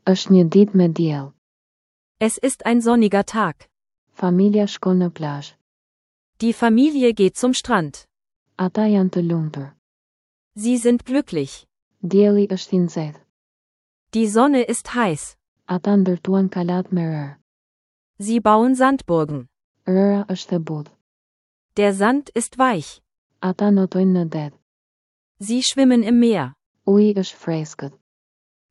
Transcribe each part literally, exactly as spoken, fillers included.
Është një ditë me diell. Es ist ein sonniger Tag. Familja shkon në plazh. Die Familie geht zum Strand. Ata janë të lumtur. Sie sind glücklich. Dielli është i nxehtë. Die Sonne ist heiß. Ata ndërtuan kalat me rërë. Sie bauen Sandburgen. Rëra është e butë. Der Sand ist weich. Ata notojnë në det. Sie schwimmen im Meer. Uji është freskët.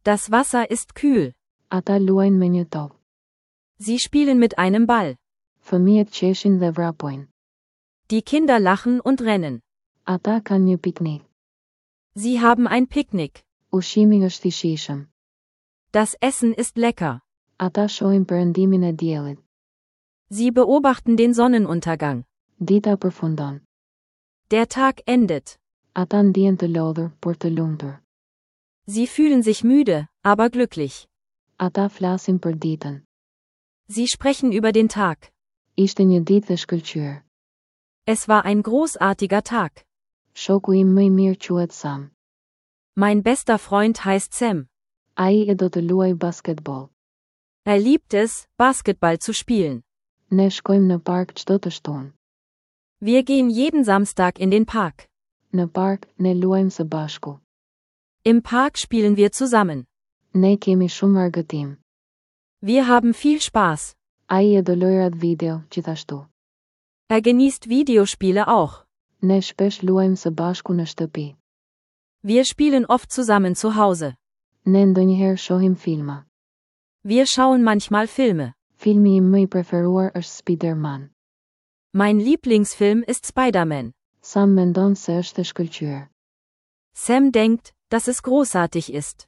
Das Wasser ist kühl. Ata luajnë me një top. Sie spielen mit einem Ball. Fëmijët qeshin dhe vrapojnë. Die Kinder lachen und rennen. Ata kanë një piknik. Sie haben ein Picknick. Ushqimi është i shijshëm. Das Essen ist lecker. Ata shohin perëndimin e diellit. Sie beobachten den Sonnenuntergang. Dita përfundon. Der Tag endet. Ata ndihen të lodhur, por të lumtur. Sie fühlen sich müde, aber glücklich. Ata flasin për ditën. Sie sprechen über den Tag. Ishte një ditë e shkëlqyer. Es war ein großartiger Tag. Shoku im më i mirë quhet Sam. Mein bester Freund heißt Sam. Ai e do të luajë basketboll. Er liebt es, Basketball zu spielen. Ne shkojmë në park çdo të shtunë. Wir gehen jeden Samstag in den Park. Në park, ne luajmë së bashku. Im Park spielen wir zusammen. Ne kemi shumë argëtim. Wir haben viel Spaß. Ai e do lojrat video, gjithashtu. Er genießt Videospiele auch. Ne shpesh luajmë së bashku në shtëpi. Wir spielen oft zusammen zu Hause. Ne ndonjëherë shohim filma. Wir schauen manchmal Filme. Filmi im më i preferuar është Spider-Man. Mein Lieblingsfilm ist Spider-Man. Sam mendon se është e shkëlqyer. Sam denkt, dass es großartig ist.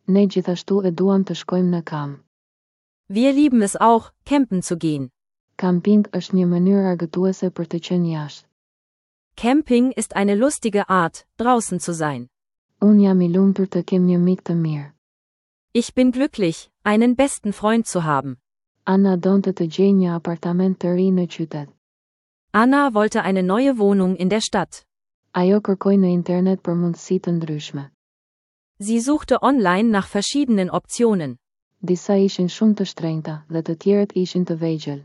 Ne gjithashtu e duam të shkojmë në kamp. Wir lieben es auch, campen zu gehen. Camping është një mënyrë argëtuese për të qenë jashtë. Camping ist eine lustige Art, draußen zu sein. Unë jam i lumtur të kem një mik të mirë. Ich bin glücklich, einen besten Freund zu haben. Anna donte të gjejë një apartament të ri në qytet. Anna wollte eine neue Wohnung in der Stadt. Ajo kërkoi në internet për mundësi të ndryshme. Sie suchte online nach verschiedenen Optionen. Disa ishin shumë të shtrenjta dhe të tjerët ishin të vegjël.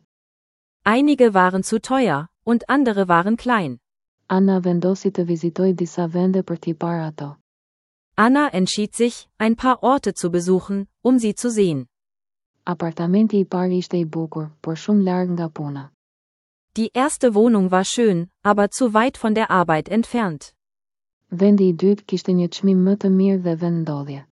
Einige waren zu teuer, und andere waren klein. Anna vendosi të vizitojë disa vende për t'i parë ato. Anna entschied sich, ein paar Orte zu besuchen, um sie zu sehen. Apartamenti i parë ishte i bukur, por shumë larg nga puna. Die erste Wohnung war schön, aber zu weit von der Arbeit entfernt. Vendi i dytë kishte një çmim më të mirë dhe vendndodhje.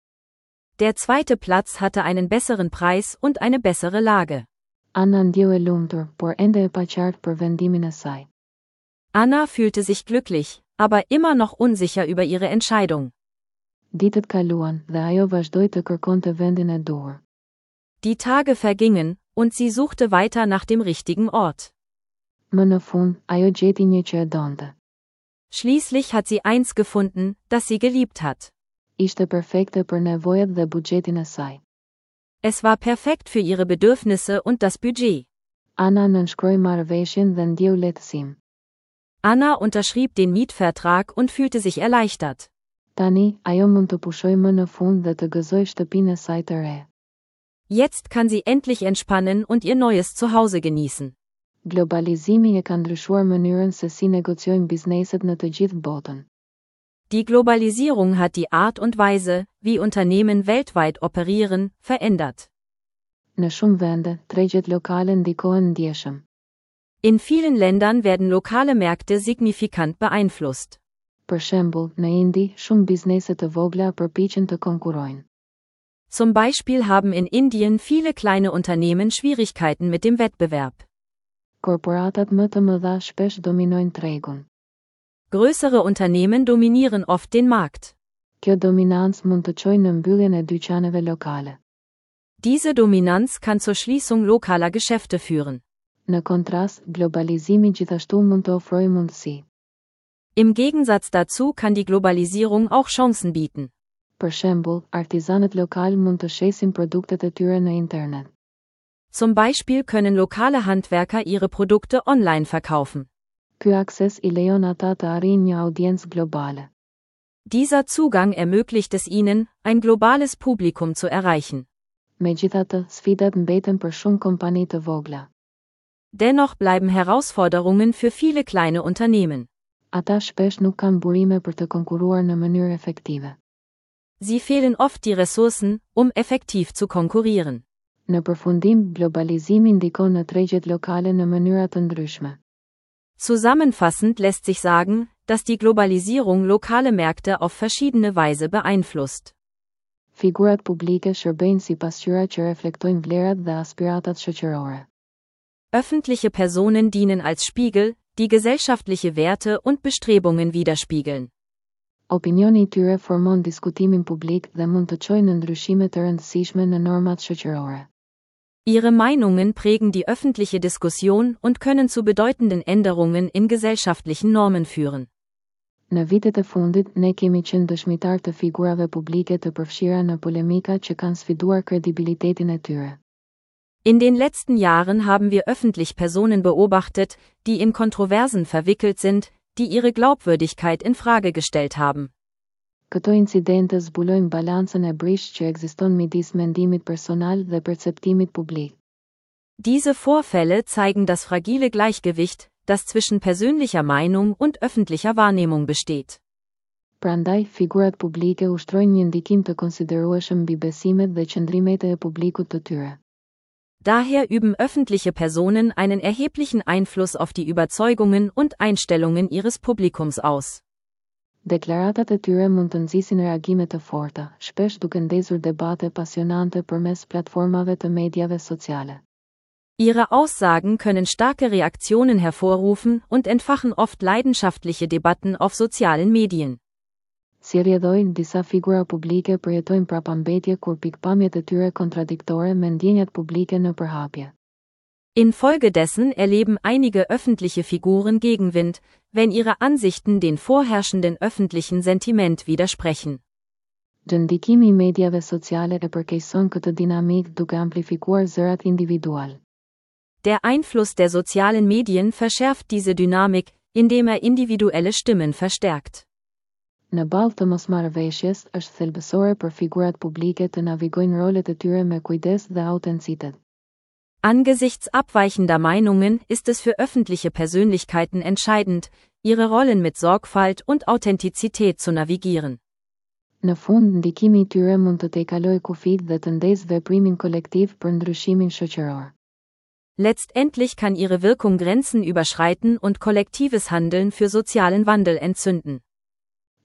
Der zweite Platz hatte einen besseren Preis und eine bessere Lage. Anna ndjeu e lumtur, por ende e paqartë për vendimin e saj. Anna fühlte sich glücklich, aber immer noch unsicher über ihre Entscheidung. Ditët kaluan dhe ajo vazhdoi të kërkonte vendin e duhur. Die Tage vergingen, und sie suchte weiter nach dem richtigen Ort. Më në fund, ajo gjeti një që e donte. Schließlich hat sie eins gefunden, das sie geliebt hat. Ishte perfekte për nevojat dhe buxhetin e saj. Es war perfekt für ihre Bedürfnisse und das Budget. Anna nënshkroi marrëveshjen dhe ndjeu lehtësim. Anna unterschrieb den Mietvertrag und fühlte sich erleichtert. Tani, ajo mund të pushojë më në fund dhe të gëzojë shtëpinë e saj të re. Jetzt kann sie endlich entspannen und ihr neues Zuhause genießen. Globalizimi e ka ndryshuar mënyrën se si negociojnë bizneset në të gjithë botën. Die Globalisierung hat die Art und Weise, wie Unternehmen weltweit operieren, verändert. Në shumë vende, tregjet lokale ndikohen ndjeshëm. In vielen Ländern werden lokale Märkte signifikant beeinflusst. Për shembull, në Indi, shumë biznese të vogla përpiqen të konkurrojnë. Zum Beispiel haben in Indien viele kleine Unternehmen Schwierigkeiten mit dem Wettbewerb. Korporatat më të mëdha shpesh dominojnë tregun. Größere Unternehmen dominieren oft den Markt. Kjo dominancë mund të çojë në mbylljen e dyqaneve lokale. Diese Dominanz kann zur Schließung lokaler Geschäfte führen. Në kontrast, globalizimi gjithashtu mund të ofrojë mundësi. Im Gegensatz dazu kann die Globalisierung auch Chancen bieten. Për shembull, artizanët lokal mund të shesin produktet e tyre në internet. Zum Beispiel können lokale Handwerker ihre Produkte online verkaufen. Ky akses i lejon ata të arrijnë një audiencë globale. Dieser Zugang ermöglicht es ihnen, ein globales Publikum zu erreichen. Megjithatë, sfidat mbeten për shumë kompani të vogla. Dennoch bleiben Herausforderungen für viele kleine Unternehmen. Ata shpesh nuk kanë burime për të konkurruar në mënyrë efektive. Sie fehlen oft die Ressourcen, um effektiv zu konkurrieren. Në përfundim, globalizimi ndikon në tregjet lokale në mënyra të ndryshme. Zusammenfassend lässt sich sagen, dass die Globalisierung lokale Märkte auf verschiedene Weise beeinflusst. Figurat publike shërbejnë si pasqyra që reflektojnë vlerat dhe aspiratat shoqërore. Öffentliche Personen dienen als Spiegel, die gesellschaftliche Werte und Bestrebungen widerspiegeln. Opinioni i tyre formon diskutimin publik dhe mund të çojë në ndryshime të rëndësishme në normat shoqërore. Ihre Meinungen prägen die öffentliche Diskussion und können zu bedeutenden Änderungen in gesellschaftlichen Normen führen. Në vitet e fundit, ne kemi qenë dëshmitar të figurave publike të përfshira në polemika që kanë sfiduar kredibilitetin e tyre. In den letzten Jahren haben wir öffentlich Personen beobachtet, die in Kontroversen verwickelt sind, die ihre Glaubwürdigkeit in Frage gestellt haben. Këto incidente zbulojnë balancën e brishtë që ekziston midis mendimit personal dhe perceptimit publik. Diese Vorfälle zeigen das fragile Gleichgewicht, das zwischen persönlicher Meinung und öffentlicher Wahrnehmung besteht. Prandaj, figurat publike ushtrojnë një ndikim të konsiderueshëm mbi besimet dhe qëndrimet e publikut të tyre. Daher üben öffentliche Personen einen erheblichen Einfluss auf die Überzeugungen und Einstellungen ihres Publikums aus. Deklaratat e tyre mund të nxisin reagime të forta, shpesh duke ndezur debate pasionante përmes platformave të mediave sociale. Ihre Aussagen können starke Reaktionen hervorrufen und entfachen oft leidenschaftliche Debatten auf sozialen Medien. Si rrjedhojë, disa figura publike përjetojnë prapambetje kur pikpamjet e tyre kontradiktore me ndjenjat publike në përhapje. Infolgedessen erleben einige öffentliche Figuren Gegenwind, wenn ihre Ansichten den vorherrschenden öffentlichen Sentiment widersprechen. Ndikimi i mediave sociale e përkeqëson këtë dinamikë duke amplifikuar zërat individual. Der Einfluss der sozialen Medien verschärft diese Dynamik, indem er individuelle Stimmen verstärkt. Në ballë të mosmarrëveshjes, është thelbësore për figurat publike të navigojnë rolet e tyre me kujdes dhe autenticitet. Angesichts abweichender Meinungen ist es für öffentliche Persönlichkeiten entscheidend, ihre Rollen mit Sorgfalt und Authentizität zu navigieren. Në fund, ndikimi i tyre mund të tejkalojë kufijtë dhe të ndezë veprimin kolektiv për ndryshimin shoqëror. Letztendlich kann ihre Wirkung Grenzen überschreiten und kollektives Handeln für sozialen Wandel entzünden.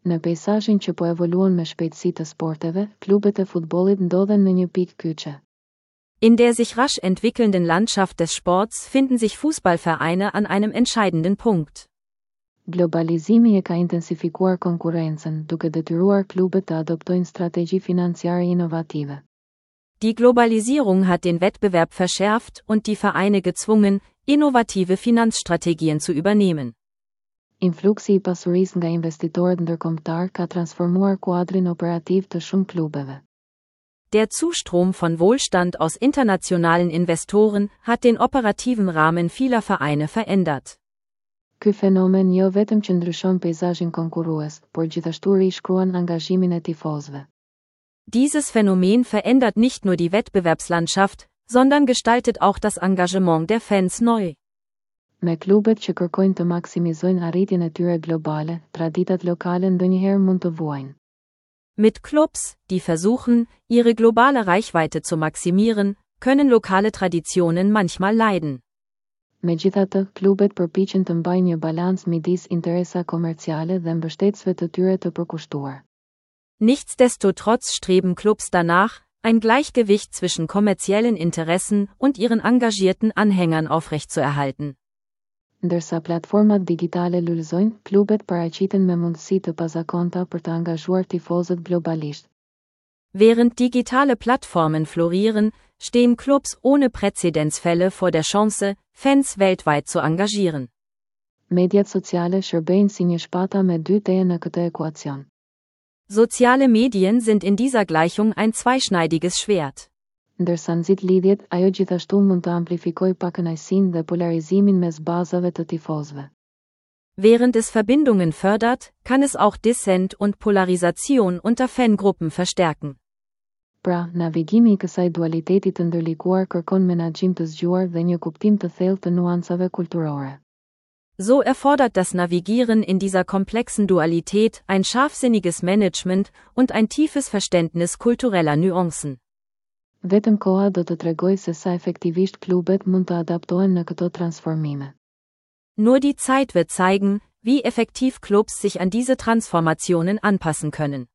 Në peizazhin që po evoluon me shpejtësi të sporteve, klubet e futbollit ndodhen në një pikë kyçe. In der sich rasch entwickelnden Landschaft des Sports finden sich Fußballvereine an einem entscheidenden Punkt. Globalizimi e ka intensifikuar konkurrencën, duke detyruar klubet të adoptojnë strategji financiare inovative. Die Globalisierung hat den Wettbewerb verschärft und die Vereine gezwungen, innovative Finanzstrategien zu übernehmen. Influksi i pasurisë nga investitorët ndërkombëtar ka transformuar kuadrin operativ të shumë klubeve. Der Zustrom von Wohlstand aus internationalen Investoren hat den operativen Rahmen vieler Vereine verändert. Ky fenomen jo vetëm që ndryshon peizazhin konkurrues, por gjithashtu rishkruan angazhimin e tifozëve. Dieses Phänomen verändert nicht nur die Wettbewerbslandschaft, sondern gestaltet auch das Engagement der Fans neu. Me klubet që kërkojnë të maksimizojnë arritjen e tyre globale, traditat lokale ndonjëherë mund të vuajnë. Mit Clubs, die versuchen, ihre globale Reichweite zu maximieren, können lokale Traditionen manchmal leiden. Megjithatë, klubet përpiqen të mbajnë një balancë midis interesa komerciale dhe mbështetësve të tyre të përkushtuar. Nichtsdestotrotz streben Clubs danach, ein Gleichgewicht zwischen kommerziellen Interessen und ihren engagierten Anhängern aufrechtzuerhalten. Ndërsa platformat digjitale lulëzojnë, klubet paraqiten me mundësi të pazakonta për të angazhuar tifozët globalisht. Während digitale Plattformen florieren, stehen Clubs ohne Präzedenzfälle vor der Chance, Fans weltweit zu engagieren. Mediat sociale shërbejnë si një shpata me dy teje në këtë ekuacion. Soziale Medien sind in dieser Gleichung ein zweischneidiges Schwert. Ndërsa nxit lidhjet, ajo gjithashtu mund të amplifikojë pakënaqësinë dhe polarizimin mes bazave të tifozëve. Während es Verbindungen fördert, kann es auch Dissent und Polarisation unter Fangruppen verstärken. Pra, navigimi i kësaj dualiteti të ndërlikuar kërkon menaxhim të zgjuar dhe një kuptim të thellë të nuancave kulturore. So erfordert das Navigieren in dieser komplexen Dualität ein scharfsinniges Management und ein tiefes Verständnis kultureller Nuancen. Vetëm koha do të tregojë se sa efektivisht klubet mund të adaptohen në këto transformime. Nur die Zeit wird zeigen, wie effektiv Clubs sich an diese Transformationen anpassen können.